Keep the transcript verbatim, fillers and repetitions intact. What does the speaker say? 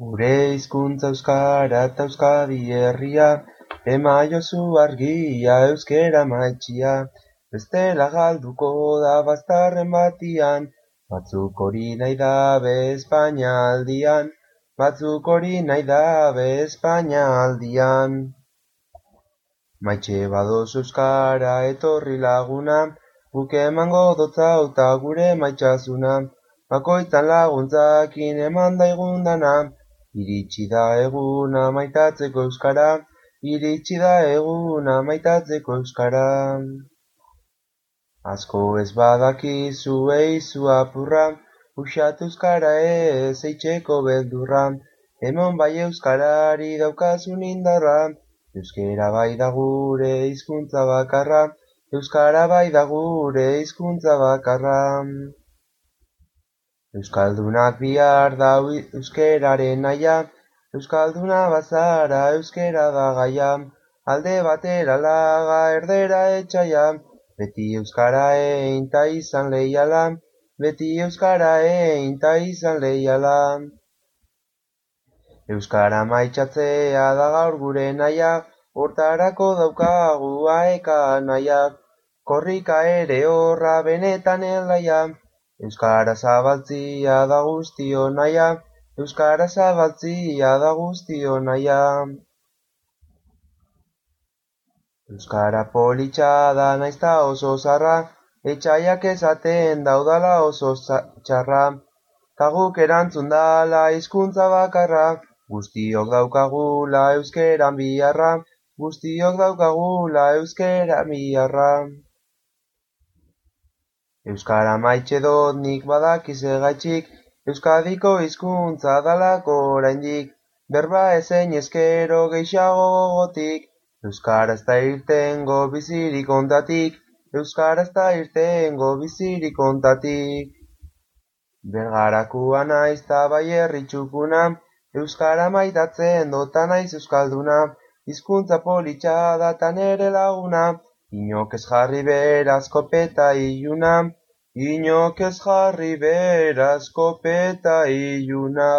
Gure hizkuntza euskara eta Euskadi herria, emaiozu argia euskera maitxia, bestela galduko da bazterren batian, batzuk hori nahi dabe Espainia aldian, batzuk hori nahi dabe Espainia aldian. Maitxe badozu euskara etorri laguna, guk emango dotzauta gure maitxasuna, bakoitzan laguntzakin eman daigun dana, iritsi da eguna maitatzeko euskara, iritsi da eguna maitatzeko euskara. Asko ez badakizu eizu apurra, uxatu euskara ez eitzeko beldurra, emon bai euskarari daukazun indarra, euskera bai da gure hizkuntza bakarra, euskara bai da gure hizkuntza bakarra. Euskaldunak bihar dau euskeraren naia, euskalduna bazara euskera da gaia, alde batera laga erdera etxaia, beti euskara egin ta izan leiala, beti euskara egin ta izan leiala. Euskara maitxatzea da gaur gure naia, hortarako daukagu aeka naia, korrika ere horra benetan elaia, euskara zabaltzia da guztio naia, euskara zabaltzia da guztio naia. Euskara politxa da naizta oso zarra, etxaiak esaten daudala oso txarra, ta guk erantzun dala hizkuntza bakarra, guztiok daukagula euskeran biharra, guztiok daukagula euskeran biharra. Euskara maitxe dot nik badakiz egaitxik, Euskadiko hizkuntza dalako oraindik, berba ezein ezkero gehiago gogotik, euskara ez da irtengo bizirik ontatik, euskara ez da irtengo bizirik ontatik. Bergarakua naiz ta bai herri txukuna, euskara maitatzen dota naiz euskalduna, hizkuntza politxa da ta nere laguna, inok ez jarri beraz kopeta iluna, inok ez jarri beraz kopeta iluna.